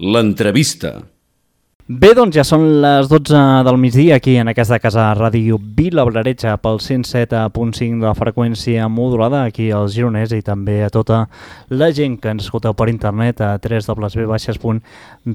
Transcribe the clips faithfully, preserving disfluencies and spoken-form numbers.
L'entrevista. Bé, doncs ja són les dotze del migdia aquí en aquesta casa Ràdio Vila Blaretxa pel cent set punt cinc de la freqüència modulada aquí als Gironès i també a tota la gent que ens escolteu per internet a w w w punt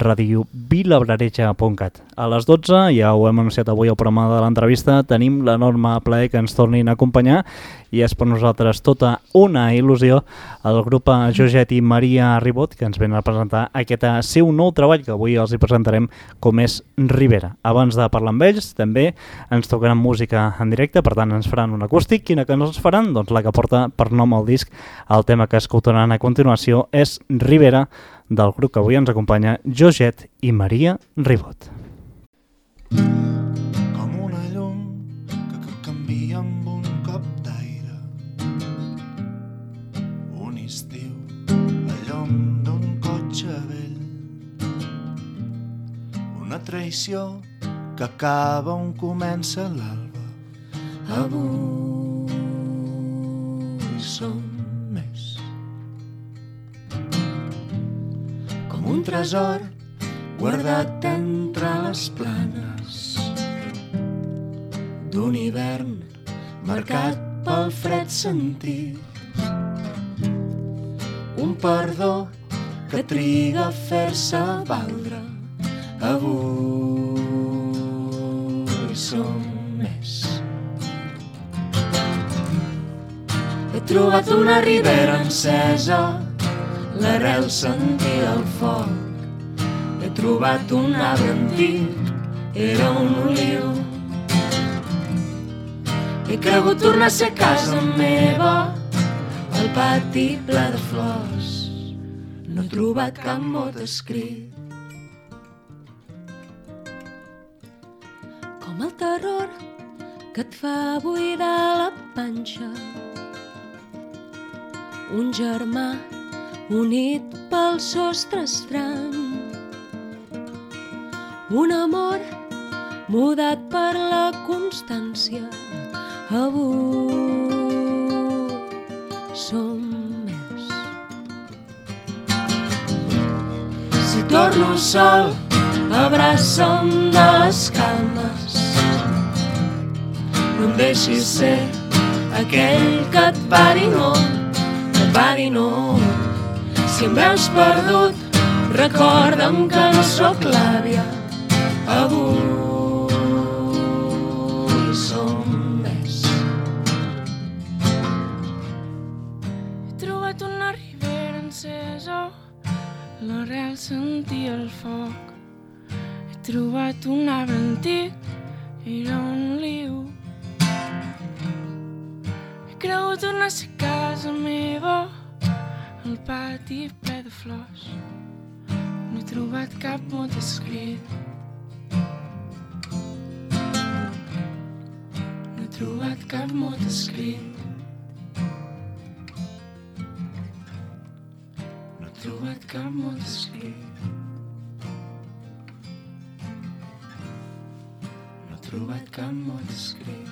radio vilablaretxa punt cat. A les dotze, ja ho hem anunciat avui al programa de l'entrevista, tenim l'enorme plaer que ens tornin a acompanyar i és per nosaltres tota una il·lusió el grup Joget i Maria Ribot que ens venen a presentar aquest seu nou treball que avui els hi presentarem com és Ribera. Abans de parlar amb ells també ens tocaran música en directe, per tant ens faran un acústic. Quina que no ens faran? Doncs la que porta per nom al disc. El tema que escoltaran a continuació és Ribera del grup que avui ens acompanya Joget i Maria Ribot. Com una llum que, que canvia amb un cop d'aire, un estiu, la llum d'un cotxe vell, una traïció que acaba on comença l'alba. Avui som més com un tresor guardat entre les planes d'un hivern marcat pel fred sentit, un perdó que triga a fer-se valdre. Avui som més. He trobat una ribera encesa, l'arrel sentia el foc. He trobat un arbre antic, era un oliu. He cregut tornar a ser casa meva, el pati ple de flors. No he trobat cap mot escrit. Com el terror que et fa buidar la panxa, un germà unit pel sostre estrany, un amor mudat per la constància. Avui som més. Si torno sol, abraça'm de les calmes. No em deixis ser aquell que et va dir no, que et va dir no. Si em veus perdut, recorda'm que no sóc l'àvia. Avui som més. He trobat una ribera encesa, l'arrel sentia el foc. He trobat un arbre antic, era un oliu. He cregut tornar a ser casa meva, el pati ple de flors. No he trobat cap mot escrit. No he trobat cap mot escrit. No he trobat cap mot escrit. No he trobat cap mot escrit.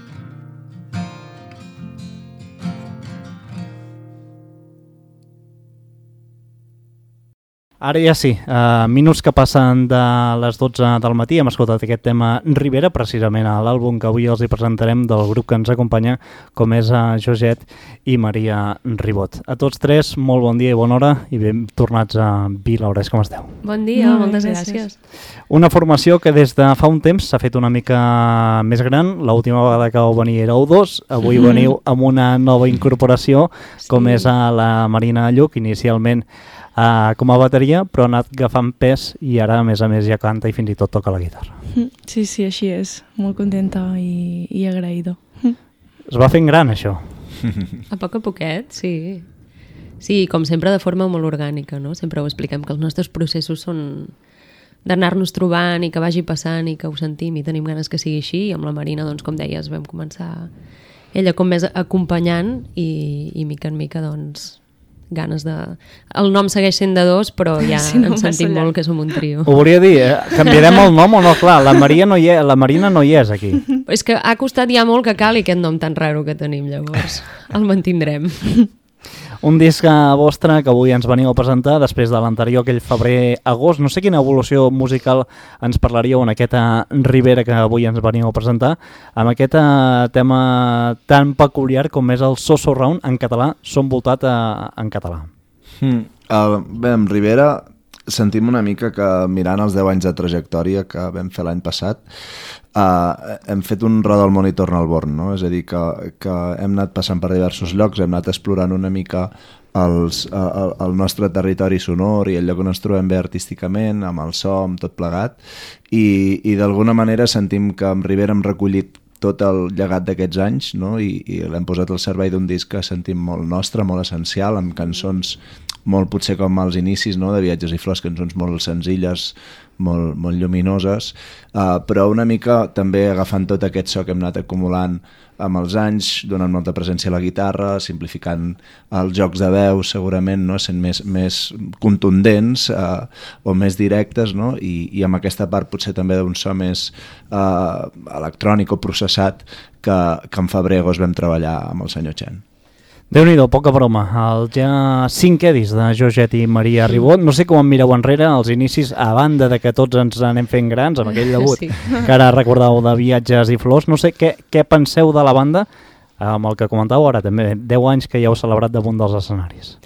Ara ja sí, uh, minuts que passen de les dotze del matí, hem escoltat aquest tema Ribera, precisament a l'àlbum que avui els hi presentarem del grup que ens acompanya, com és uh, Joget i Maria Ribot. A tots tres, molt bon dia i bona hora i ben tornats a Vilaures, com esteu? Bon dia, molt moltes gràcies. gràcies. Una formació que des de fa un temps s'ha fet una mica més gran, l'última vegada que vau venir éreu dos, avui mm-hmm. veniu amb una nova incorporació, sí. com és a la Marina Lluc, inicialment Uh, com a bateria, però ha anat agafant pes i ara, a més a més, ja canta i fins i tot toca la guitarra. Sí, sí, així és. Molt contenta i, i agraïda. Es va fent gran, això? A poc a poquet, sí. Sí, com sempre de forma molt orgànica, no? Sempre ho expliquem, que els nostres processos són d'anar-nos trobant i que vagi passant i que ho sentim i tenim ganes que sigui així. I amb la Marina, doncs, com deies, vam començar ella com més acompanyant i, i mica en mica, doncs, ganes de... El nom segueix sent de dos, però ja sí, no ens sentim molt que som un trio. Ho volia dir, eh? Canviarem el nom o no? Clar, la, Maria no hi és, la Marina no hi és aquí. És que ha costat ja molt que cali aquest nom tan raro que tenim, llavors. El mantindrem. Un disc vostre que avui ens veniu a presentar després de l'anterior, aquell febrer-agost. No sé quina evolució musical ens parlaríeu en aquesta Ribera que avui ens veniu a presentar, amb aquest tema tan peculiar com és el So So Round en català, Som voltat a, en català. Mm. Uh, bé, amb Ribera sentim una mica que mirant els deu anys de trajectòria que vam fer l'any passat, uh, hem fet un roda al món i torna al born, no? És a dir, que, que hem anat passant per diversos llocs, hem anat explorant una mica els, uh, el nostre territori sonor i el lloc on ens trobem bé artísticament, amb el so, amb tot plegat, i, i d'alguna manera sentim que amb Ribera hem recollit tot el llegat d'aquests anys, no? I, i l'hem posat al servei d'un disc que sentim molt nostre, molt essencial, amb cançons molt potser com als inicis, no? De Viatges i Flors, cançons molt senzilles, molt, molt lluminoses, uh, però una mica també agafant tot aquest so que hem anat acumulant amb els anys, donant molta presència a la guitarra, simplificant els jocs de veu segurament, no? Sent més, més contundents uh, o més directes, no? I, i amb aquesta part potser també d'un so més uh, electrònic o processat que, que en febrer-agost vam treballar amb el senyor Chen. Déu-n'hi-do, poca broma. El ja cinquè disc de Georget i Maria Ribot. No sé com em mireu enrere, als inicis, a banda de que tots ens anem fent grans, amb aquell debut sí. que ara recordeu de Viatges i Flors. No sé què, què penseu de la banda, amb el que comentàveu ara també, deu anys que ja heu celebrat damunt dels escenaris.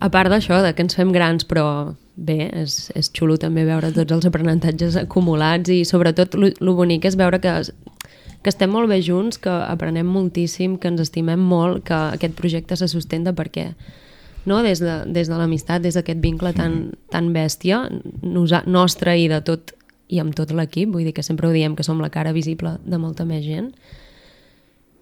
A part d'això, de que ens fem grans, però bé, és, és xulo també veure tots els aprenentatges acumulats i sobretot el bonic és veure que... que estem molt bé junts, que aprenem moltíssim, que ens estimem molt, que aquest projecte se sustenta perquè no? des de, des de l'amistat, des d'aquest vincle tan, tan bèstia, nosa, nostre i de tot, i amb tot l'equip, vull dir que sempre ho diem que som la cara visible de molta més gent.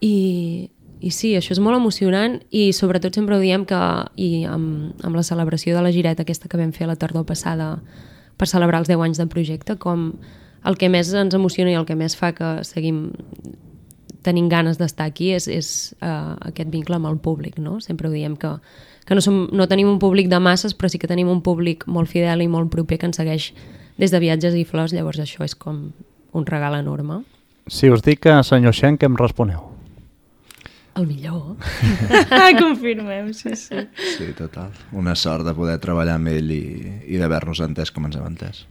I, i sí, això és molt emocionant i sobretot sempre ho diem que i amb, amb la celebració de la gireta aquesta que vam fer la tardor passada per celebrar els deu anys de projecte, com el que més ens emociona i el que més fa que seguim tenint ganes d'estar aquí és, és uh, aquest vincle amb el públic, no? Sempre ho diem que, que no, som, no tenim un públic de masses, però sí que tenim un públic molt fidel i molt proper que ens segueix des de Viatges i Flors, llavors això és com un regal enorme. Si us dic que senyor Xen, què em responeu? El millor. Confirmem, sí, sí. Sí, total. Una sort de poder treballar amb ell i, i d'haver-nos entès com ens hem entès.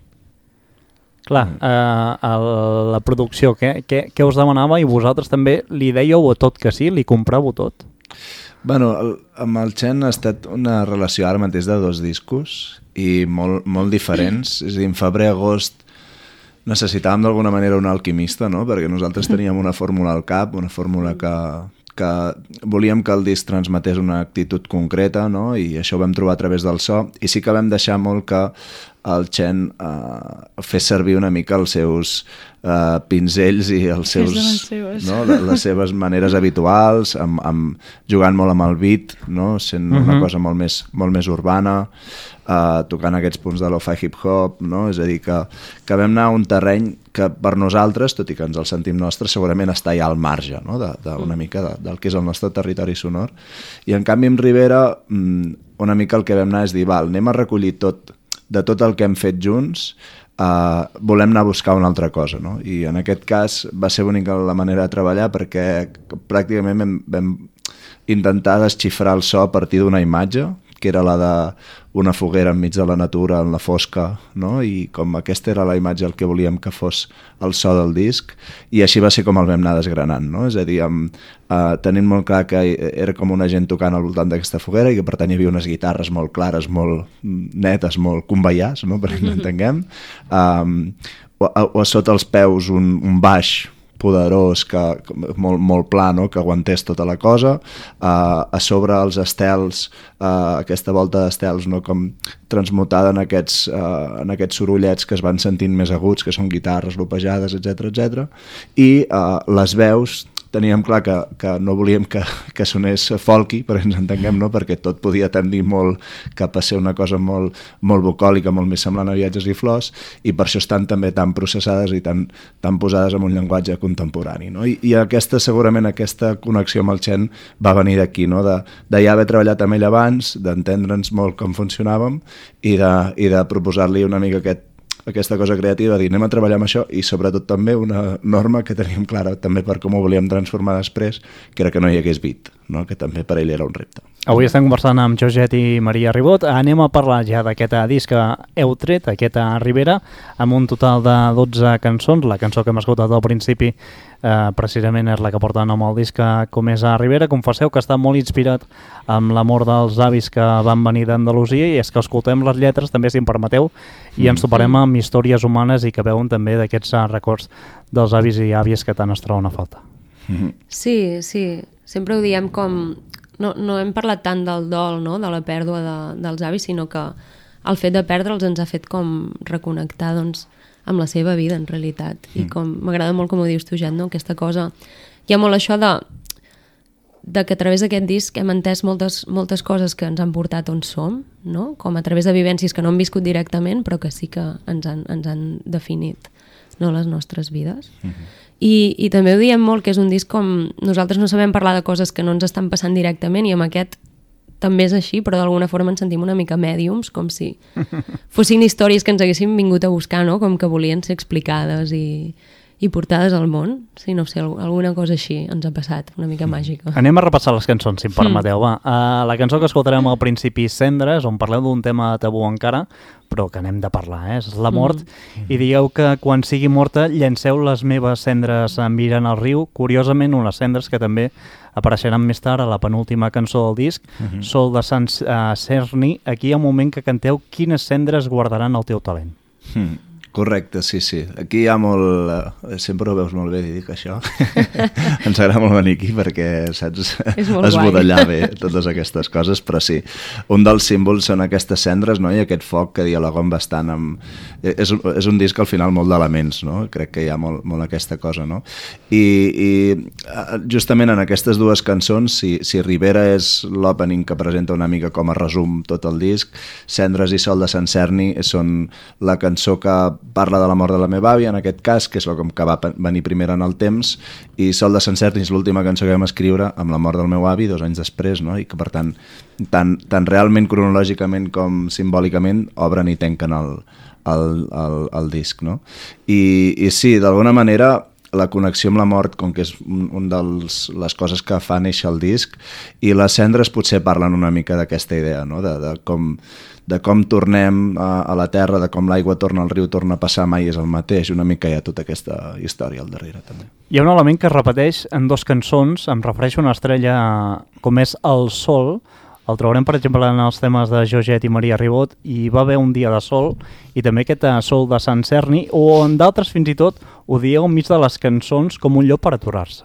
Clar, eh, el, la producció, què, què, què us demanava i vosaltres també li dèieu a tot que sí, li compràveu tot? Bueno, el, amb el Chen ha estat una relació ara mateix de dos discos i molt, molt diferents, és a dir, en febrer-agost necessitàvem d'alguna manera un alquimista, no? Perquè nosaltres teníem una fórmula al cap, una fórmula que, que volíem que el disc transmetés una actitud concreta, no? I això ho vam trobar a través del so, i sí que vam deixar molt que el Chen uh, fes servir una mica els seus uh, pinzells i els seus, no? les seves maneres habituals, amb, amb, jugant molt amb el beat, no? Sent uh-huh. una cosa molt més, molt més urbana, uh, tocant aquests punts de lo-fi hip-hop, no? És a dir, que, que vam anar a un terreny que per nosaltres, tot i que ens el sentim nostre, segurament està ja al marge, no? de, de una mica de, del que és el nostre territori sonor. I en canvi amb Ribera una mica el que vam anar és dir, val, anem a recollir tot de tot el que hem fet junts, uh, volem anar a buscar una altra cosa, no? I en aquest cas va ser bonica la manera de treballar perquè pràcticament vam, vam intentar desxifrar el so a partir d'una imatge, que era la d'una foguera enmig de la natura, en la fosca, no? I com aquesta era la imatge el que volíem que fos el so del disc, i així va ser com el vam anar desgranant, no? És a dir, amb, uh, tenint molt clar que era com una gent tocant al voltant d'aquesta foguera i que per tant hi havia unes guitarres molt clares, molt netes, molt conveiars, no? Perquè ens entenguem, um, o, o sota els peus un, un baix poderós, que, molt, molt pla, no? Que aguantés tota la cosa, uh, a sobre els estels, uh, aquesta volta d'estels, no? Com transmutada en aquests, uh, en aquests sorollets que es van sentint més aguts, que són guitarres, lopejades, etcètera, etcètera. I uh, les veus, teníem clar que, que no volíem que, que sonés folky, però ens entenguem, no? Perquè tot podia tendir molt cap a ser una cosa molt, molt bucòlica, molt més semblant a Viatges i Flors, i per això estan també tan processades i tan, tan posades en un llenguatge contemporani, no? I, i aquesta, segurament aquesta connexió amb el Chen va venir d'aquí, no? De, de ja haver treballat amb ell abans, d'entendre'ns molt com funcionàvem i de, i de proposar-li una mica aquest aquesta cosa creativa, dir anem a treballar amb això, i sobretot també una norma que teníem clara també per com ho volíem transformar després, que era que no hi hagués beat, no? Que també per ell era un repte. Avui estem conversant amb Georget i Maria Ribot. Anem a parlar ja d'aquest disc que heu tret, aquest a Ribera, amb un total de dotze cançons. La cançó que hem escoltat al principi eh, precisament és la que porta nom al disc, Com és a Ribera. Confesseu que està molt inspirat amb l'amor dels avis que van venir d'Andalusia, i és que escoltem les lletres, també, si em permeteu, i ens toparem amb històries humanes i que veuen també d'aquests records dels avis i àvies que tant es troben a falta. Sí, sí. Sempre ho diem com... No, no hem parlat tant del dol, no?, de la pèrdua de, dels avis, sinó que el fet de perdre'ls ens ha fet com reconnectar, doncs, amb la seva vida, en realitat. Mm. I com m'agrada molt com ho dius tu, Jan, no?, aquesta cosa... Hi ha molt això de, de que a través d'aquest disc hem entès moltes, moltes coses que ens han portat on som, no?, com a través de vivències que no hem viscut directament, però que sí que ens han, ens han definit, no?, les nostres vides. Mm-hmm. I, i també ho diem molt, que és un disc com... Nosaltres no sabem parlar de coses que no ens estan passant directament, i amb aquest també és així, però d'alguna forma ens sentim una mica mèdiums, com si fossin històries que ens haguéssim vingut a buscar, no?, com que volien ser explicades i, i portades al món. Sí, no sé, alguna cosa així ens ha passat, una mica màgica. Anem a repassar les cançons, si em permeteu. Va. Uh, la cançó que escoltarem al principi, Cendres, on parleu d'un tema tabú encara, però que n'hem de parlar, eh? És la mort, mm. i digueu que quan sigui morta llanceu les meves cendres mirant al riu. Curiosament, unes cendres que també apareixeran més tard a la penúltima cançó del disc, mm-hmm. Sol de Sant uh, Cerny. Aquí hi ha un moment que canteu Quines cendres guardaran el teu talent. Mm. Correcte, sí, sí. Aquí hi ha molt... Eh, sempre ho veus molt bé, dic això. Ens agrada molt venir aquí perquè, saps, esbudellar bé totes aquestes coses, però sí. Un dels símbols són aquestes cendres, no?, i aquest foc que dialoguen bastant amb... És, és un disc al final molt d'elements, no? Crec que hi ha molt, molt aquesta cosa, no? I, i justament en aquestes dues cançons, si, si Ribera és l'opening que presenta una mica com a resum tot el disc, Cendres i Sol de Sant Cerny són la cançó que parla de la mort de la meva àvia, en aquest cas, que és com que va venir primer en el temps, i Sol de Sant Cerny és l'última cançó que vam escriure amb la mort del meu avi dos anys després, no? I que per tant, tant, tant realment cronològicament com simbòlicament obren i tanquen el, el, el, el disc, no? I, i sí, d'alguna manera la connexió amb la mort, com que és un, un de les coses que fa néixer el disc, i les cendres potser parlen una mica d'aquesta idea, no?, de, de com de com tornem a, a la terra, de com l'aigua torna al riu, torna a passar, mai és el mateix. Una mica hi ha tota aquesta història al darrere, també. Hi ha un element que es repeteix en dos cançons, em refereixo a una estrella com és el sol. El trobarem, per exemple, en els temes de Georget i Maria Ribot, i va haver un dia de sol, i també aquest Sol de Sant Cerny, o en d'altres fins i tot ho dieu enmig de les cançons com un lloc per aturar-se.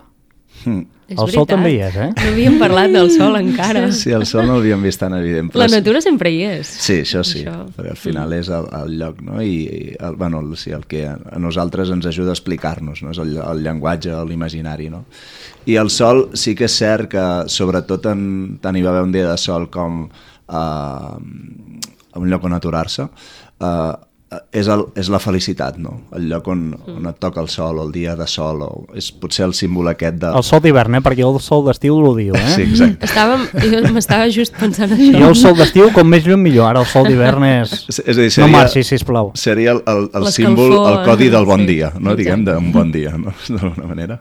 Hmm. El veritat. Sol també hi és, eh? No havíem parlat del sol encara. Sí, el sol no l'havíem vist tan evident. La natura sempre hi és. Sí, això sí, això. Perquè al final és el, el lloc, no? I, i el, bueno, sí, el que a, a nosaltres ens ajuda a explicar-nos, no? És el, el llenguatge, l'imaginari, no? I el sol sí que és cert que, sobretot, en, tant hi va haver un dia de sol com uh, un lloc on aturar-se, uh, és, el, és la felicitat, no? El lloc on, on et toca el sol, o el dia de sol, o és potser el símbol aquest de... El sol d'hivern, eh? Perquè el sol d'estiu l'odio, eh? Sí, exacte. Estàvem, jo m'estava just pensant això. Jo el sol d'estiu, com més lluny millor. Ara el sol d'hivern és... És a dir, seria, no marxi, sisplau. Seria el, el, el símbol, el codi del bon sí, dia, no? Diguem, d'un bon dia, no? D'alguna manera.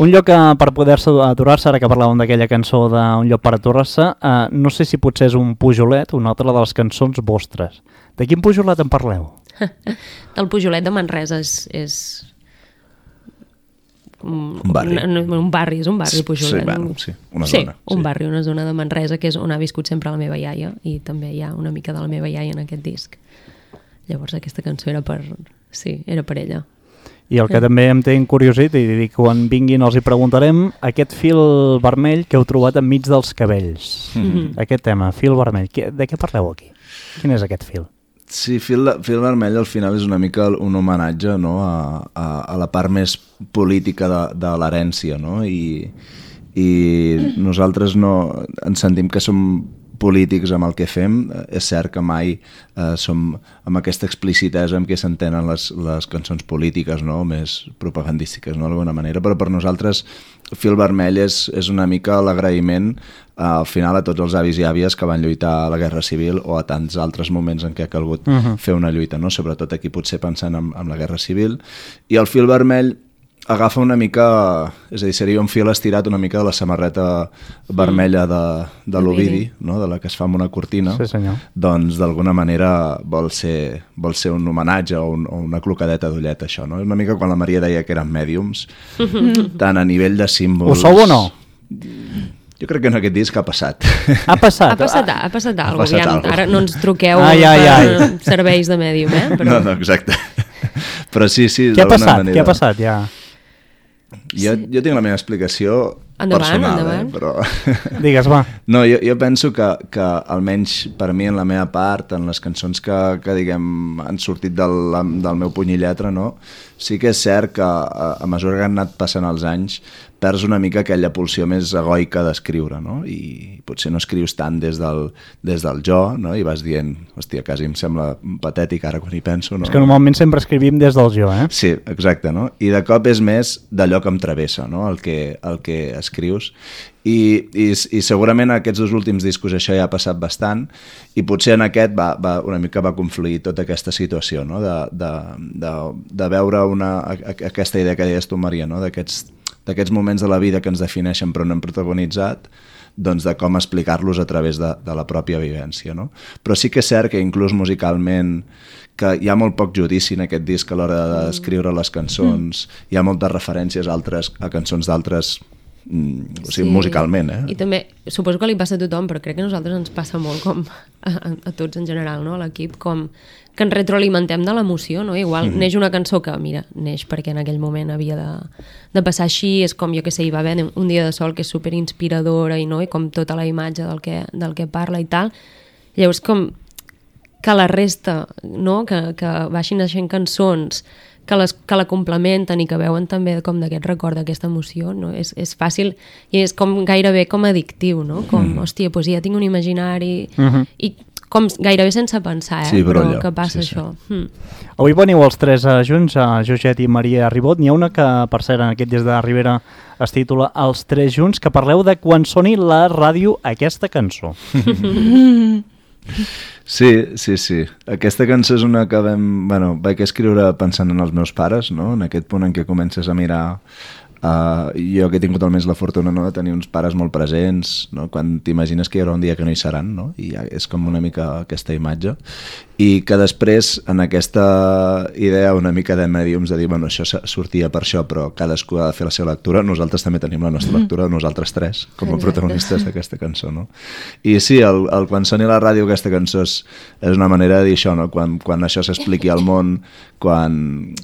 Un lloc per poder-se aturar-se, ara que parlàvem d'aquella cançó d'un lloc per aturar-se, eh, no sé si potser és un pujolet, una altra de les cançons vostres. De quin pujolet en parleu? El pujolet de Manresa és... és... Un, un barri. Un, un barri, és un barri, Pujolet. Sí, bueno, sí, una sí, zona. un sí. barri, una zona de Manresa, que és on ha viscut sempre la meva iaia, i també hi ha una mica de la meva iaia en aquest disc. Llavors aquesta cançó era per... Sí, era per ella. I el que sí. també em té encuriosit, i dic, quan vinguin els hi preguntarem, aquest fil vermell que heu trobat enmig dels cabells. Mm-hmm. Aquest tema, fil vermell, de què parleu aquí? Quin és aquest fil? Sí, fil, fil vermell al final és una mica un homenatge, no? a, a, a la part més política de, de l'herència, no? I, i nosaltres no ens sentim que som polítics amb el que fem. És cert que mai eh, som amb aquesta explicitesa amb què s'entenen les, les cançons polítiques, no? Més propagandístiques, no? D'alguna manera, però per nosaltres fil vermell és, és una mica l'agraïment eh, al final a tots els avis i àvies que van lluitar a la Guerra Civil o a tants altres moments en què ha calgut uh-huh. fer una lluita, no? Sobretot aquí potser pensant en, en la Guerra Civil. I el fil vermell agafa una mica, és a dir, seria un fil estirat una mica de la samarreta vermella de, de l'Ovidi, no? De la que es fa amb una cortina, sí, senyor. Doncs d'alguna manera vol ser, vol ser un homenatge o, un, o una clocadeta d'ullet, això, no? És una mica quan la Maria deia que eren mèdiums, tant a nivell de símbols... Ho sou o no? Jo crec que en aquest disc ha passat. Ha passat? Ha passat, ha passat Ha alguna passat cosa. algo. Ara no ens truqueu ai, ai, ai. per serveis de mèdium, eh? Però... No, no, exacte. Però sí, sí, Què ha d'alguna passat? manera... Què ha passat, ja? Jo, jo tinc la meva explicació Endavant, personal, endavant. Eh? Però... Digues, va. No, jo, jo penso que, que almenys per mi en la meva part, en les cançons que, que diguem, han sortit del, del meu puny i lletra, no? Sí que és cert que a, a mesura que han anat passant els anys perds una mica aquella pulsió més egoica d'escriure, no? I potser no escrius tant des del, des del jo, no? I vas dient, hòstia, quasi em sembla patètic ara quan hi penso, no? És que normalment sempre escrivim des del jo, eh? Sí, exacte, no? I de cop és més d'allò que em travessa, no? El que, el que escrius. I, i, i segurament en aquests dos últims discos això ja ha passat bastant i potser en aquest va, va, una mica va confluir tota aquesta situació, no? de, de, de, de veure una, aquesta idea que deies tu, Maria, no? d'aquests d'aquests moments de la vida que ens defineixen però no hem protagonitzat, doncs de com explicar-los a través de, de la pròpia vivència, no? Però sí que és cert que inclús musicalment que hi ha molt poc judici en aquest disc a l'hora d'escriure les cançons, mm. hi ha moltes referències a, altres, a cançons d'altres, mm, o sigui, sí. musicalment, eh? I també, suposo que li passa a tothom, però crec que a nosaltres ens passa molt com a, a, a tots en general, no? A l'equip, com que ens retroalimentem de l'emoció, no? Igual mm-hmm. neix una cançó que, mira, neix perquè en aquell moment havia de, de passar així, és com, jo que sé, hi va haver un dia de sol que és superinspiradora i, no? I com tota la imatge del que, del que parla i tal. Llavors, com que la resta, no? Que, que baixin naixent cançons, que, les, que la complementen i que veuen també com d'aquest record, d'aquesta emoció, no? És, és fàcil i és com gairebé com addictiu, no? Com, mm. hòstia, doncs ja tinc un imaginari mm-hmm. i com gairebé sense pensar, eh? Sí, però, però allò, que passa sí, sí. això. Mm. Avui veniu els tres uh, junts, uh, Joget i Maria Ribot. N'hi ha una que, per cert, en aquest Des de Ribera es titula Els tres junts, que parleu de quan soni la ràdio aquesta cançó. Sí, sí, sí. Aquesta cançó és una que vam, bueno, vaig escriure pensant en els meus pares, no? En aquest punt en què comences a mirar... Uh, jo que he tingut almenys la fortuna, no? De tenir uns pares molt presents, no? Quan t'imagines que hi haurà un dia que no hi seran, no? I ja és com una mica aquesta imatge. I que després, en aquesta idea una mica de mèdiums, de dir, bueno, això sortia per això, però cadascú ha de fer la seva lectura, nosaltres també tenim la nostra lectura, nosaltres tres, com a protagonistes d'aquesta cançó, no? I sí, el, el quan soni la ràdio aquesta cançó és, és una manera de dir això, no? Quan, quan això s'expliqui al món, quan...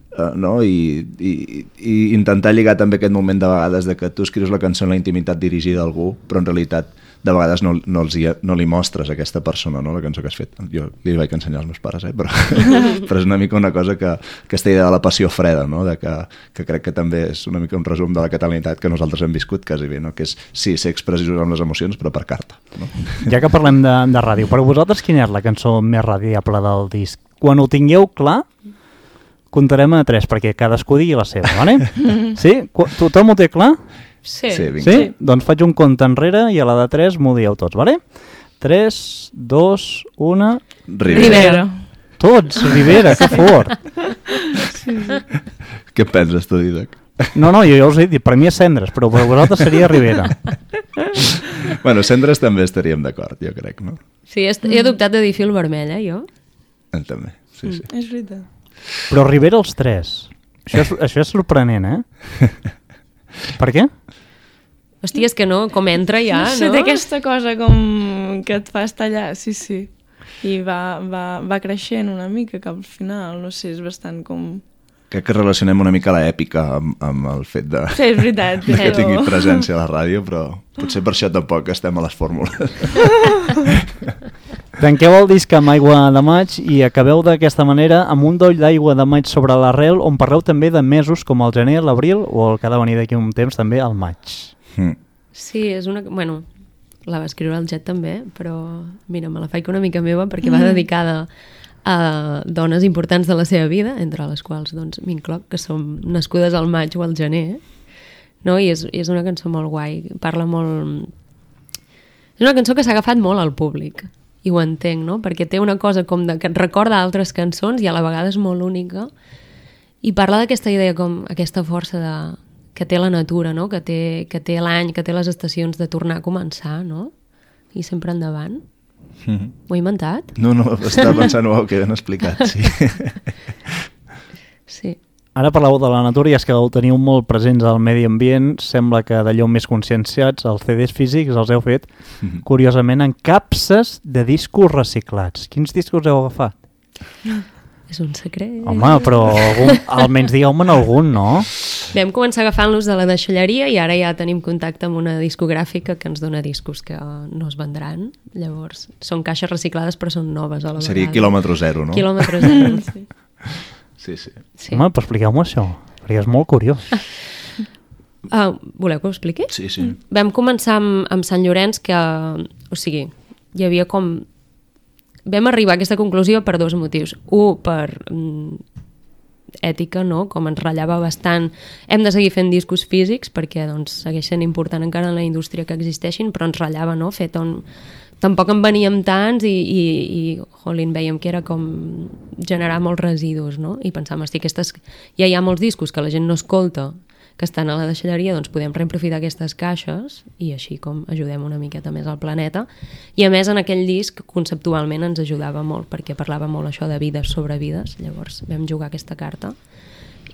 Uh, no? I, i, i intentar lligar també aquest moment de vegades de que tu escrius la cançó en la intimitat dirigida a algú, però en realitat de vegades no, no, els hi, no li mostres a aquesta persona, no? La cançó que has fet. Jo li vaig ensenyar als meus pares, eh? però, però és una mica una cosa que aquesta idea de la passió freda, no? De que, que crec que també és una mica un resum de la catalanitat que nosaltres hem viscut quasi bé, no? Que és, sí, ser expressius amb les emocions, però per carta. No? Ja que parlem de, de ràdio, per vosaltres quina és la cançó més radiable del disc? Quan ho tingueu clar, comptarem a tres, perquè cadascú digui la seva, vale? Sí? Tothom ho té clar? Sí. Sí, vinga. Sí? Doncs faig un compte enrere i a la de tres m'ho dieu tots, vale? tres, dos, un... Rivera. Rivera. Tots, Rivera, que fort. Sí, sí. Què penses tu, Didac? No, no, jo ja us he dit, per mi és Cendres, però per vosaltres seria Rivera. Bueno, Cendres també estaríem d'acord, jo crec, no? Sí, he adoptat de dir fil vermell, eh, jo? Eh, també, sí, sí. És veritat. Però Rivera els tres. Això és, això és sorprenent, eh? Per què? Hòstia, és que no, com entra ja, no? sé, no? té aquesta cosa com que et fa estallar, sí, sí. I va, va, va creixent una mica cap al final, no sé, és bastant com... Crec que relacionem una mica l'èpica amb, amb el fet de, sí, és veritat, de que però... tingui presència a la ràdio, però potser per això tampoc estem a les fórmules. Tanqueu el disc amb Aigua de maig i acabeu d'aquesta manera amb un doll d'aigua de maig sobre l'arrel on parleu també de mesos com el gener, l'abril o el que ha de venir d'aquí un temps també el maig. Mm. Sí, és una... Bueno, la va escriure el Jet també, però mira, me la faig una mica meva perquè va dedicada a dones importants de la seva vida, entre les quals doncs, m'incloc, que som nascudes al maig o al gener, no? I és, és una cançó molt guai, parla molt... És una cançó que s'ha agafat molt al públic, i ho entenc, no? Perquè té una cosa com de, que et recorda altres cançons i a la vegada és molt única I parla d'aquesta idea com aquesta força de, que té la natura, no? Que té, que té l'any, que té les estacions de tornar a començar, no? I sempre endavant. Mm-hmm. Ho he inventat? No, no, estava pensant, uau, que ben explicat, sí. Sí. Ara parleu de la natura i és que el teniu molt presents al medi ambient, sembla que d'allò més conscienciats, els C Ds físics els heu fet, mm-hmm. curiosament, en capses de discos reciclats. Quins discos heu agafat? És un secret. Home, però algun, almenys digueu-me'n algun, no? Vam començar agafant-los de la deixalleria i ara ja tenim contacte amb una discogràfica que ens dona discos que no es vendran. Llavors, són caixes reciclades però són noves a la vegada. Seria quilòmetre zero, no? Quilòmetre zero, sí. Sí, sí. sí. Home, però expliqueu-me això, perquè és molt curiós. Uh, voleu que ho expliqui? Sí, sí. Vam començar amb, amb Sant Llorenç que, o sigui, hi havia com... Vam arribar a aquesta conclusió per dos motius. Un, per mm, ètica, no? Com ens ratllava bastant. Hem de seguir fent discos físics perquè doncs, segueix sent important encara en la indústria que existeixin, però ens ratllava, no? Fet on... Tampoc en veníem tants i, i, i jolín, veiem que era com generar molts residus, no? I pensàvem, hosti, aquestes... ja hi ha molts discos que la gent no escolta, que estan a la deixalleria, doncs podem reaprofitar aquestes caixes i així com ajudem una miqueta més al planeta. I a més, en aquell disc, conceptualment ens ajudava molt, perquè parlava molt això de vides sobre vides, llavors vam jugar aquesta carta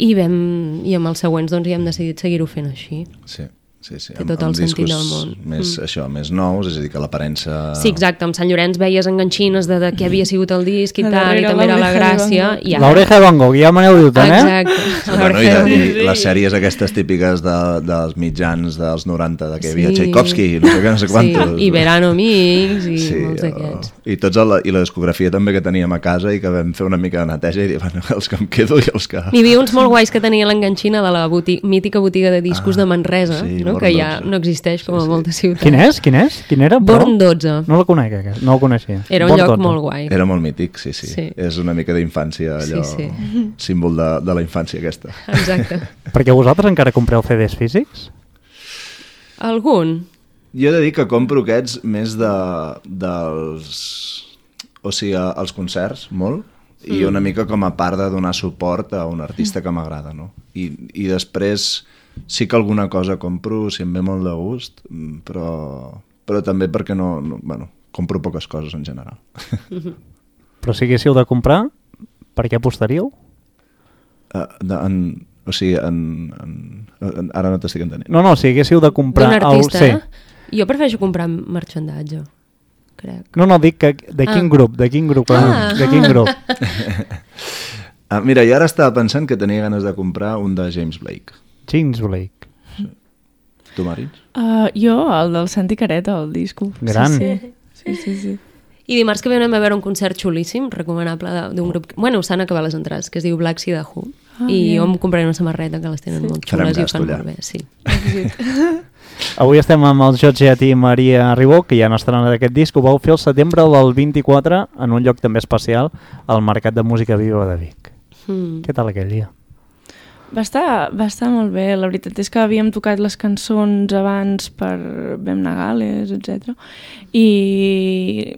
i, vam, i amb els següents doncs, ja hem decidit seguir-ho fent així. Sí. Sí, sí, Té amb, tot el amb sentit discos del món. Més, Mm. això, més nous, és a dir, que l'aparença... Sí, exacte, amb Sant Llorenç veies enganxines de, de què havia sigut el disc i A tal, i darrere també era la l'oreja de gràcia. Van Gogh. I ara... L'oreja de Van Gogh, ja me n'heu dit, eh? Exacte. Bueno, i, de, i les sèries aquestes típiques de, dels mitjans dels noranta, de que hi havia Sí. Tchaikovsky, no sé què, no sé quantos. Sí, i Verano Mix i Sí, molts o- d'aquests. I tots el, i la discografia també que teníem a casa i que vam fer una mica de neteja i dir, bueno, els que em quedo i els que... N'hi havia uns molt guais que tenia l'enganxina de la boti mítica botiga de discos Ah, de Manresa, sí, no? Born Que ja dotze. no existeix com a Sí, sí. moltes ciutats. Quin és? Quin és? Quin era? Però? Born dotze. No la conec, aquest. No el coneixia. Era un Born lloc dotze. molt guai. Era molt mític, sí, sí, Sí. És una mica d'infància, allò, Sí, símbol de, de la infància aquesta. Exacte. Perquè vosaltres encara compreu C Ds físics? Algun? Jo he de dir que compro aquests més de, dels... O sigui, als concerts, molt, i una mica com a part de donar suport a un artista que m'agrada, no? I, I després sí que alguna cosa compro, si em ve molt de gust, però, però també perquè no, no... Bueno, compro poques coses en general. Però si haguéssiu de comprar, per què apostaríeu? Uh, de, en, o sigui, en, en, en, ara no t'estic entenent. No, no, si haguéssiu de comprar... D'un artista, el... eh? Jo prefereixo comprar marxandatge, crec. No, no, dic que de quin Ah. grup, de quin grup, Ah. de quin grup. Ah, mira, jo ara estava pensant que tenia ganes de comprar un de James Blake. James Blake. Tu, Marins? Uh, jo, el del Santi Careta, el disco. Gran. Sí, sí, sí. sí, sí. I dimarts que ve anem a veure un concert xulíssim, recomanable de- d'un grup... Bueno, s'han acabat les entrades, que es diu Black Sea de Who. Ah, I bien. jo em compraré una samarreta que les tenen Sí. molt Farem xules i ho gasto fan allà. molt bé. Sí. Avui estem amb el Jotget i Maria Ribó, que ja no estaran d'aquest disc. Ho vau fer el setembre del vint-i-quatre en un lloc també especial, al Mercat de Música Viva de Vic. Mm. Què tal aquell dia? Va estar, va estar molt bé, la veritat és que havíem tocat les cançons abans per Vam Nagales, etcètera. I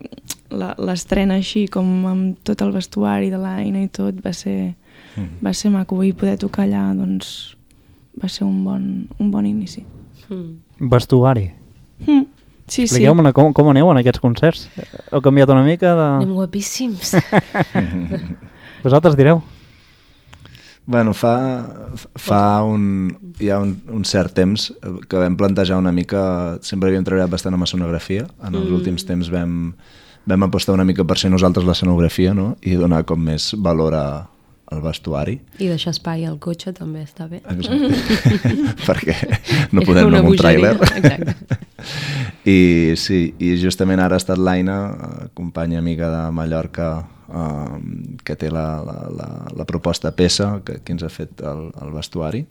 la- l'estrena així, com amb tot el vestuari de l'Aina i tot, va ser, Mm. va ser maco. I poder tocar allà, doncs, va ser un bon, un bon inici. Mm. Vestuari. Mm. Sí, sí. Expliqueu-me com, com aneu en aquests concerts. Heu canviat una mica de... Anem guapíssims. Vosaltres direu. Bueno, fa, fa un, hi ha un, un cert temps que vam plantejar una mica, sempre havíem treballat bastant amb escenografia, en els Mm. últims temps vam, vam apostar una mica per ser nosaltres l'escenografia, no? I donar com més valor a, al vestuari. I deixar espai al cotxe també està bé. Exacte. Perquè no Era podem una anar amb un bogeria, tràiler. exacte. I sí, i justament ara ha estat l'Aina, companya amiga de Mallorca, um, que té la, la, la, la proposta peça que, que ens ha fet el, el vestuari.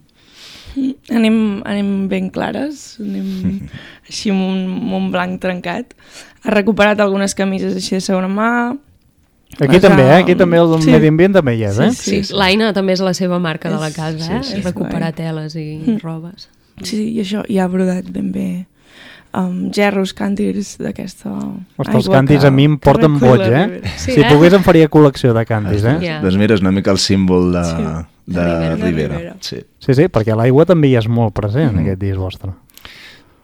Anem, anem ben clares, anem així amb un, amb un blanc trencat. Ha recuperat algunes camises així de segona mà. Aquí Les també, ha- eh? Aquí també el Sí. medi ambient també hi és, eh? Sí, l'Aina també és la seva marca de la És- casa, eh? sí, sí. És recuperar És guai. teles i robes. Sí, i això, i ha brodat ben bé um, gerros, càntirs d'aquesta Ostres, els aigua càntirs que, a mi em porten boig, eh? Sí, si eh? pogués em faria col·lecció de càntirs, eh? Ja. Doncs mira, és una mica el símbol de, Sí. de, De Ribera. Ribera. De Ribera. Sí. Sí, sí, perquè l'aigua també hi és molt present en Mm. aquest disc vostre.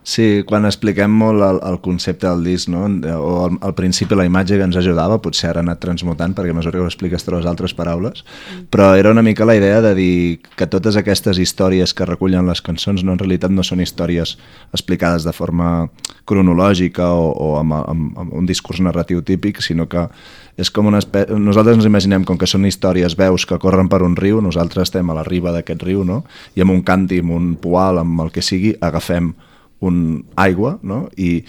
Sí, quan expliquem molt el, el concepte del disc, no? o al, al principi la imatge que ens ajudava, potser ara ha anat transmutant perquè a mesura que ho expliques trobes altres paraules, però era una mica la idea de dir que totes aquestes històries que recullen les cançons no, en realitat no són històries explicades de forma cronològica o, o amb, amb, amb un discurs narratiu típic, sinó que és com una espècie... Nosaltres ens imaginem com que són històries, veus que corren per un riu, nosaltres estem a la riba d'aquest riu, no? I amb un càntir, amb un poal, amb el que sigui, agafem un aigua, no? I,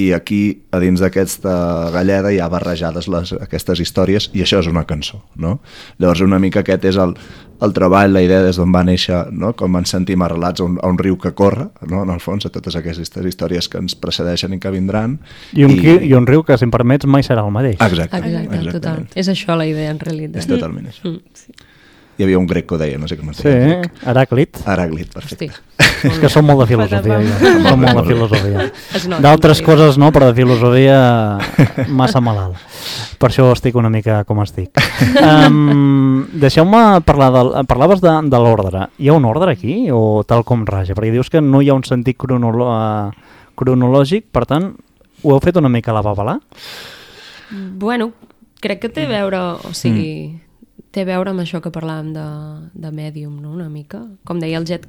i aquí, a dins d'aquesta galleda, hi ha barrejades les, aquestes històries, i això és una cançó, no? Llavors, una mica aquest és el, el treball, la idea des d'on va néixer, no? Com ens sentim arrelats a un, a un riu que corre, no? En el fons, a totes aquestes històries que ens precedeixen i que vindran. I un, i... I un riu que, si em permets, mai serà el mateix. Exacte. Exacte, total. És això la idea, en realitat. És totalment això. Mm. Sí. Hi havia un grec que ho deia, no sé com es Sí, deia. Heràclit. Heràclit, perfecte. Hosti. És que som molt de filosofia. Jo. Som molt de filosofia. Es nota, D'altres sí. coses no, però de filosofia massa malalt. Per això estic una mica com estic. Um, Deixeu-me parlar del... Parlaves de, de l'ordre. Hi ha un ordre aquí o tal com raja? Perquè dius que no hi ha un sentit cronolo cronològic, per tant, ho heu fet una mica a la babalà? Bueno, crec que té a veure, o sigui... Mm. té a veure amb això que parlàvem de, de Medium, no? Una mica. Com deia el Jet,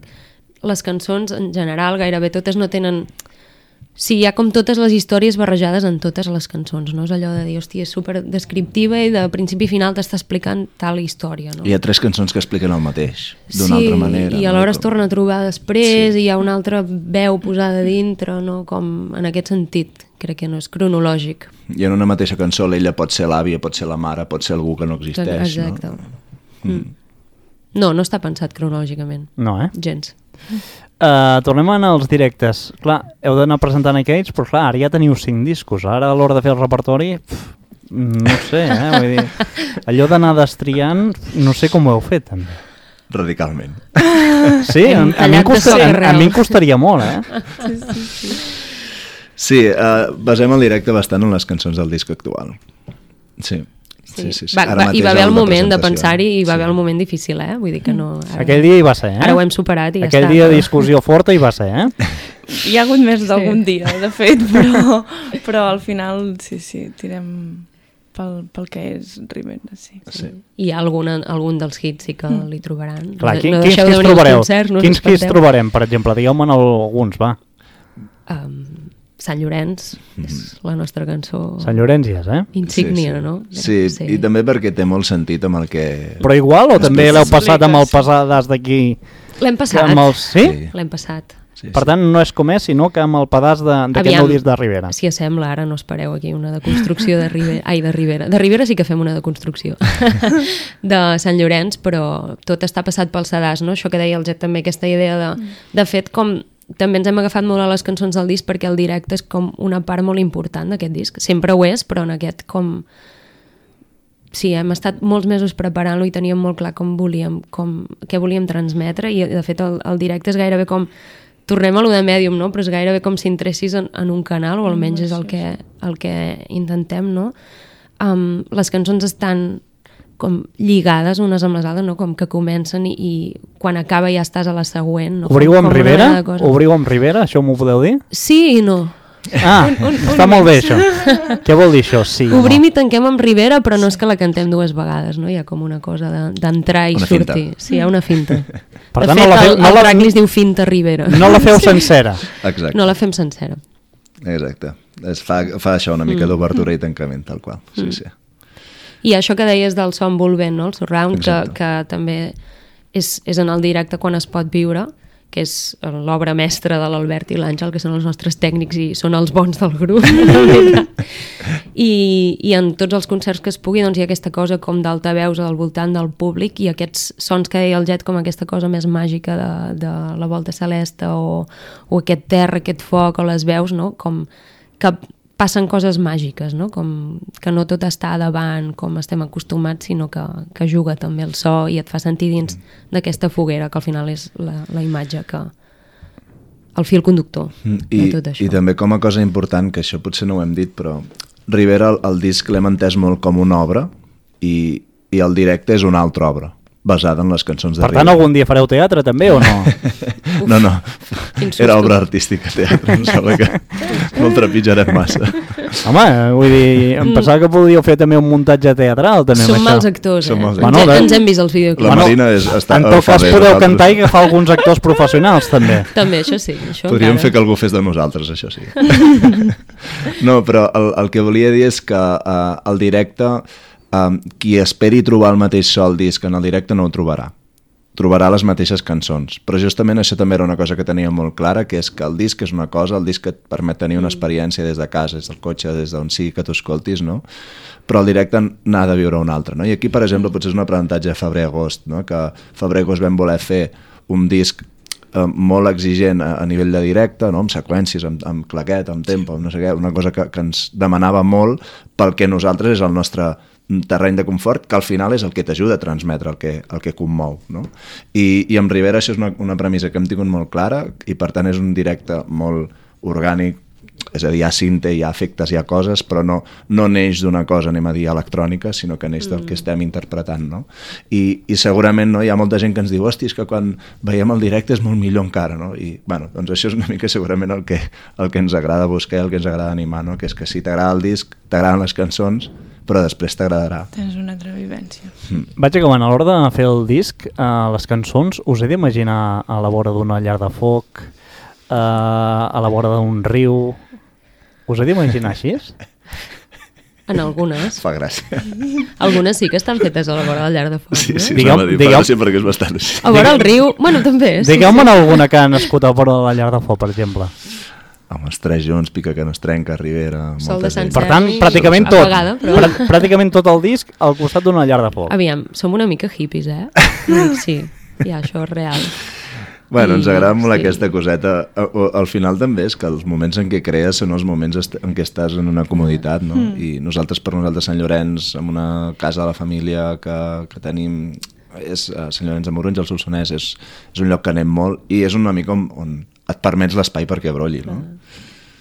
les cançons en general gairebé totes no tenen... Sí, hi ha com totes les històries barrejades en totes les cançons, no? És allò de dir, hòstia, és super descriptiva i de principi a final t'està explicant tal història, no? Hi ha tres cançons que expliquen el mateix, d'una sí, altra manera. i alhora no? es torna a trobar després Sí. i hi ha una altra veu posada dintre, no? Com en aquest sentit, crec que no és cronològic. I en una mateixa cançó l'ella pot ser l'àvia, pot ser la mare, pot ser algú que no existeix. Exacte. No? Mm. No, no està pensat cronològicament. No, eh? Gens. Uh, tornem a anar als directes. Clar, heu d'anar presentant aquells, però clar, ara ja teniu cinc discos. Ara a l'hora de fer el repertori, pf, no sé, eh? Vull dir, allò d'anar destriant, no sé com ho heu fet, també. Radicalment. Sí, a, a, mi, em costaria, a, a mi em costaria molt, eh? Sí, sí, sí. Sí, uh, basem el directe bastant en les cançons del disc actual. Sí. Sí, sí, sí. Va, Ara va, mateix hi va haver el amb la moment de presentació. pensar-hi i va Sí. haver el moment difícil, eh? Vull dir que no... Ara, Aquell dia hi va ser, eh? Ara ho hem superat i ja Aquell està. dia de discussió forta hi va ser, eh? Hi ha hagut més d'algun dia, de fet, però, però al final, sí, sí, tirem pel, pel que és Ribera, sí. Sí. Hi ha alguna, algun dels hits sí que li trobaran. Clar, no, quin, no quins deixeu de quins venir als trobareu? concerts, no us Quins quins espanteu. trobarem, per exemple? Digueu-me'n alguns, va. Um, Sant Llorenç és la nostra cançó Sant Llorenç ja és, eh? insígnia, sí, sí. no? Sí, sí, i també perquè té molt sentit amb el que... Però igual o també l'heu passat amb el sí. pesades d'aquí? L'hem passat. Amb els... Sí? Sí. L'hem passat. Sí, Per tant, no és com és, sinó que amb el pedaç d'aquest Aviam, nou disc de Ribera. Si assembla, ara no espereu aquí una deconstrucció de Ribera. Ai, de Ribera. De Ribera sí que fem una deconstrucció. De Sant Llorenç, però tot està passat pel sedàs, no? Això que deia el Jet també, aquesta idea de... De fet, com també ens hem agafat molt a les cançons del disc perquè el directe és com una part molt important d'aquest disc. Sempre ho és, però en aquest com... Sí, hem estat molts mesos preparant-lo i teníem molt clar com volíem, com, què volíem transmetre i de fet el, el directe és gairebé com... Tornem a lo de Medium, no? Però és gairebé com si entressis en, en un canal, o almenys és el que, el que intentem, no? Um, les cançons estan com lligades unes amb les altres, no? Com que comencen i, i quan acaba ja estàs a la següent. No? Obriu Com- amb com una Ribera? mena de cosa. Obriu amb Ribera? Això m'ho podeu dir? Sí i no. Ah, Un- un- està un molt bé mix. això. Què vol dir això? Sí. Obrim i tanquem amb Ribera, però no és que la cantem dues vegades, no? Hi ha com una cosa de- d'entrar i Una finta. sortir. Sí, hi ha una finta. Per de tant, fet, no la feu- el, no el la- track li es diu Finta Ribera. No la feu sencera. Exacte. No la fem sencera. Exacte. Es fa, fa això una mica d'obertura i tancament, tal qual. Sí, sí. I això que deies del so envolvent, no? El surround, que, Exacte. que també és, és en el directe quan es pot viure, que és l'obra mestra de l'Albert i l'Àngel, que són els nostres tècnics i són els bons del grup. I, I en tots els concerts que es pugui doncs, hi ha aquesta cosa com d'altaveus al voltant del públic i aquests sons que deia el Jet com aquesta cosa més màgica de, de la volta celeste o, o aquest terra, aquest foc o les veus, no? Com que passen coses màgiques, no? Com que no tot està davant com estem acostumats, sinó que, que juga també el so i et fa sentir dins d'aquesta foguera, que al final és la, la imatge que el fil conductor I, de tot això. I també com a cosa important, que això potser no ho hem dit, però Rivera, el, el disc l'hem entès molt com una obra i, i el directe és una altra obra, basada en les cançons de Per Rivera. tant, algun dia fareu teatre també o no? No, no, Quin susto. era obra artística, teatre, em sembla que no el trepitjarem massa. Home, vull dir, em pensava que podíeu fer també un muntatge teatral també Som amb mals això. actors, Som eh? mals Ens, actors. hem- ens hem vist els videoclips. La Marina és, està, En tot fa cas bé, podeu nosaltres. cantar i agafar alguns actors professionals també. També, això sí. Això Podríem encara. fer que algú fes de nosaltres, això sí. No, però el, el que volia dir és que uh, el directe, uh, qui esperi trobar el mateix so al disc en el directe no ho trobarà. Trobarà les mateixes cançons. Però justament això també era una cosa que tenia molt clara, que és que el disc és una cosa, el disc et permet tenir una experiència des de casa, des del cotxe, des d'on sigui que t'ho escoltis, no? Però el directe n'ha de viure un altre, no? I aquí, per exemple, potser és un aprenentatge de febrer-agost, no? Que febrer-agost vam voler fer un disc eh, molt exigent a, a nivell de directe, no? Amb seqüències, amb, amb claquet, amb tempo, amb no sé què, una cosa que, que ens demanava molt pel que nosaltres és el nostre terreny de confort, que al final és el que t'ajuda a transmetre el que, el que commou, no? I, i amb Rivera això és una, una premissa que hem tingut molt clara i per tant és un directe molt orgànic, és a dir, hi ha cinte, hi ha efectes, hi ha coses, però no, no neix d'una cosa, anem a dir, electrònica, sinó que neix del que estem interpretant, no? I, i segurament no, hi ha molta gent que ens diu hosti, és que quan veiem el directe és molt millor encara, no? I, bueno, doncs això és una mica segurament el que, el que ens agrada buscar i el que ens agrada animar, no? Que és que si t'agrada el disc, t'agraden les cançons, però després t'agradarà. Tens una altra vivència. Vaig acabant, a l'hora de fer el disc, eh, les cançons, us he d'imaginar a la vora d'una llar de foc, eh, a la vora d'un riu... Us he d'imaginar així? En algunes. Fa gràcia. Algunes sí que estan fetes a la vora del llar de foc, Sí, no? sí, Digueu- digueu, dir, digueu- fa gràcia perquè és bastant així. A vora el riu, bueno, també. Sí, Digueu-me sí. alguna que ha nascut a vora de la llar de foc, per exemple. Amb els tres junts, pica que no es trenca, Rivera... Sol molta de Sant gent. Per tant, Sergi, pràcticament tot, apagada, però- prà- pràcticament tot el disc al costat d'una llar de foc. Aviam, som una mica hippies, eh? Sí, ja, això és real. Bueno, ens I- agrada molt sí. aquesta coseta. A- o- Al final també és que els moments en què crees són els moments est- en què estàs en una comoditat, no? Mm. I nosaltres, per nosaltres, Sant Llorenç, amb una casa de la família que, que tenim, és a Sant Llorenç de Morunys, al Solsonès, és, és un lloc que anem molt i és una mica on, on et permets l'espai perquè brolli, no?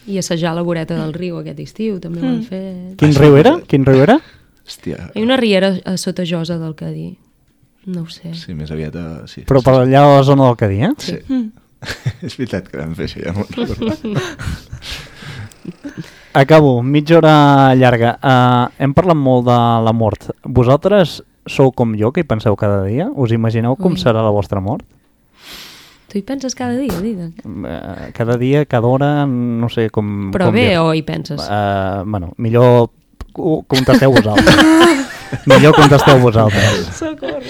I assajar la voreta del riu aquest estiu, també ho han fet. Quin riu era? Quin riu era? Hòstia, Hi ha una riera a sota Josa del Cadí. No ho sé. sí, més aviat... A... Sí, Però per allà a la zona del Cadí, eh? Sí. És veritat que vam fer això, ja m'ho recordo. Acabo, mitja hora llarga. Uh, hem parlat molt de la mort. Vosaltres sou com jo, que hi penseu cada dia? Us imagineu com Ui. serà la vostra mort? Tu hi penses cada dia, Didac? Uh, cada dia, cada hora, no sé com... Però com bé dir. o hi penses? Uh, bueno, millor co- contesteu vosaltres. millor contesteu vosaltres. Socorro.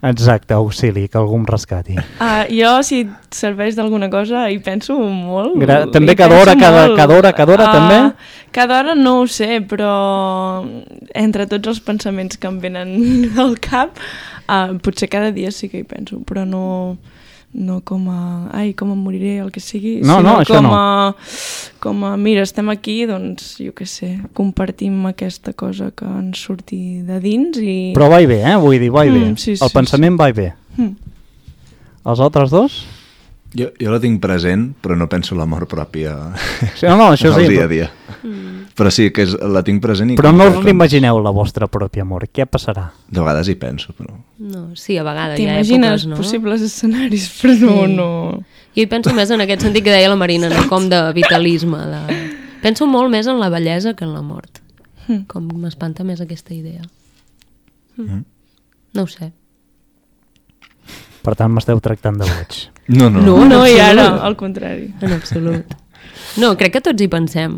Exacte, auxili, que algú em rescati. Uh, jo, si et serveix d'alguna cosa, hi penso molt. Gra- Hi també cada penso hora, cada- molt. cada hora, cada hora, també? Cada hora no ho sé, però entre tots els pensaments que em venen al cap, uh, potser cada dia sí que hi penso, però no, no com a, ai, com em moriré, el que sigui, No, sinó no, això com no. a, com a, mira, estem aquí, doncs, jo què sé, compartim aquesta cosa que ens surti de dins i... Però va i bé, eh? Vull dir, va i bé. Mm, sí, El sí, pensament va i bé. Mm. Els altres dos? Jo, jo la tinc present, però no penso la mort pròpia Sí, no, no, això al sí. dia a dia. Però sí, que és, la tinc present i... Però com no que- us l'imagineu, la vostra pròpia mort. Què passarà? De vegades hi penso, però... No, sí, a vegades hi ha T'imagines èpoques, no? possibles escenaris, però no, Sí. no... Jo hi penso més en aquest sentit que deia la Marina, no? Com de vitalisme. De... Penso molt més en la bellesa que en la mort. Mm. Com m'espanta més aquesta idea. Mm. No ho sé. Per tant, m'esteu tractant de boig. No, no. No, No, i ara, absolut. al contrari. En absolut. No, crec que tots hi pensem.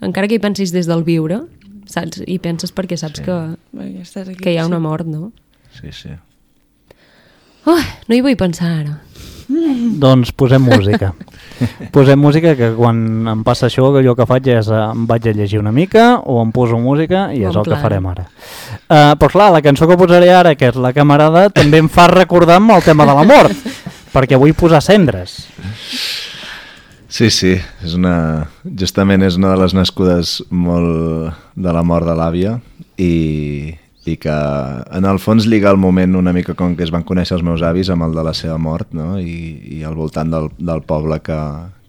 Encara que hi pensis des del viure, saps? Hi penses perquè saps Sí. que, Bé, ja estàs aquí, que hi ha una sí. mort, no? Sí, sí. Oh, no hi vull pensar ara. Doncs posem música. Posem música, que quan em passa això, que jo que faig és eh, em vaig a llegir una mica o em poso música i és Bon el que plan. farem ara. Uh, però clar, la cançó que posaré ara, que és La camarada, també em fa recordar amb el tema de la mort, perquè vull posar cendres. Sí, sí, és una... justament és una de les nascudes molt de la mort de l'àvia i, i que en el fons lliga el moment una mica com que es van conèixer els meus avis amb el de la seva mort, no? I, i al voltant del, del poble que,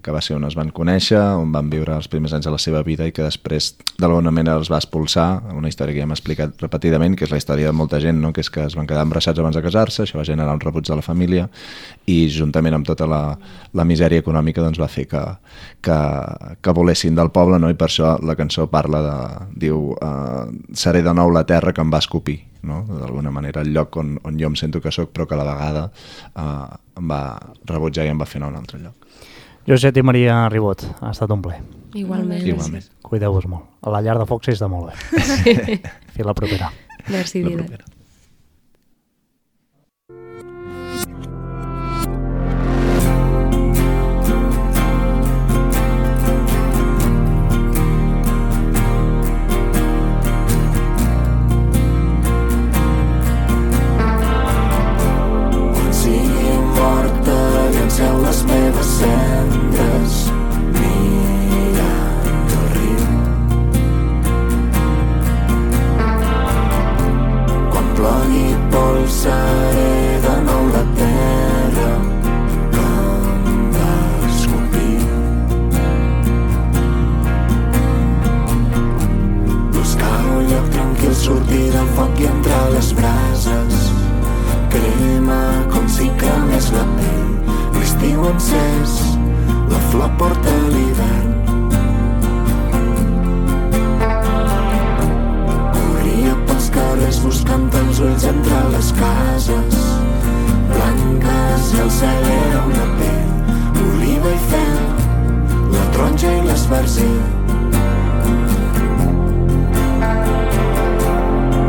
que va ser on es van conèixer, on van viure els primers anys de la seva vida i que després d'alguna manera els va expulsar, una història que ja hem explicat repetidament, que és la història de molta gent, no? Que és que es van quedar embarassats abans de casar-se, això va generar un rebuig de la família i juntament amb tota la, la misèria econòmica doncs va fer que, que, que volessin del poble, no? I per això la cançó parla de, diu, uh, seré de nou la terra que em va escopir, no? D'alguna manera el lloc on, on jo em sento que sóc però que a la vegada uh, em va rebutjar i em va fer anar a un altre lloc. Josep i Maria Ribot, ha estat un plaer. Igualment. Igualment. Cuideu-vos molt. A la llar de foc s'hi està molt bé. Sí. Fins la propera. Merci, Didac. Llenceu les meves cendres mirant el riu. Quan plogui pols seré de nou la terra que em va escopir. Buscar un lloc tranquil, sortir del foc i entrar a les brases. Crema com si cremés la pell. L'estiu encès, la flor porta l'hivern. Corria pels carrers buscant els ulls entre les cases blanques i el cel era una pell, oliva i fel, la taronja i l'esbarzer.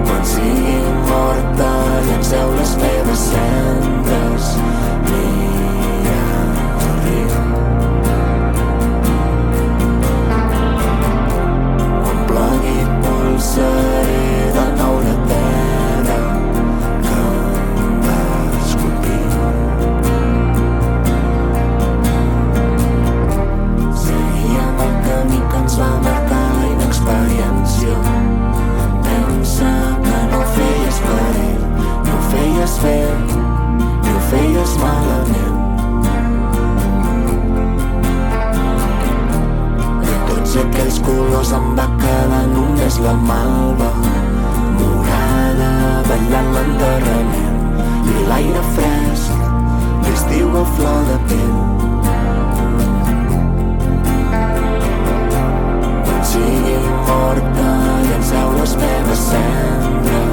Quan sigui morta, llenceu les meves cendres. Seré de nou la terra que em va escopir. Seguíem el camí que ens va marcar la inexperiència. Pensa que no ho feies per ell, no ho feies bé, ni ho feies malament. Aquells colors em va quedar només la malva morada ballant l'enterrament i l'aire fresc d'estiu a flor de pell. Quan sigui morta llenceu les meves cendres